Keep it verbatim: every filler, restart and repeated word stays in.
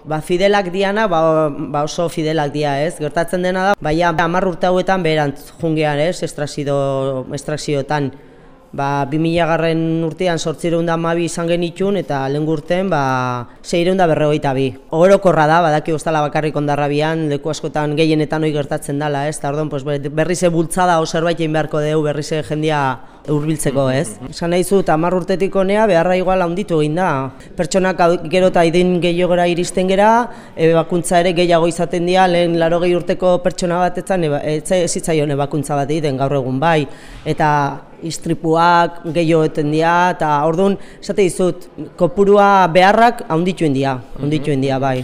Ba, fidelak diana, ba, ba oso fidelak dia, ez? Gertatzen dena da, baina hamar urte hauetan beherantz jungean, ez? Estrazio, estrazioetan. Ba, bi mila garren urtean zortziehun eta hamabi izan genitun eta lehen urtean ba, seiehun eta berrogeita bi. Orokorra da, badaki ostala bakarrik Hondarrabian, leku askotan gehienetan hori gertatzen dela, ez? Ta orduan, pues, berrize bultzada o zerbait egin beharko dugu, berrize jendia hurbiltzeko, ez? Esan nahi zut, hamar urtetik honea beharra igual handitu egin da. Pertsonak gero eta idin gehiagora iristen gera, ebakuntza ere gehiago izaten dira, lehen laurogei urteko pertsona batetan ez zitzaion ebakuntza bat egiten gaur egun bai. Eta istripuak gehiago eten dira, eta orduan, esate dizut, kopurua beharrak handituen dira, handituen dira bai.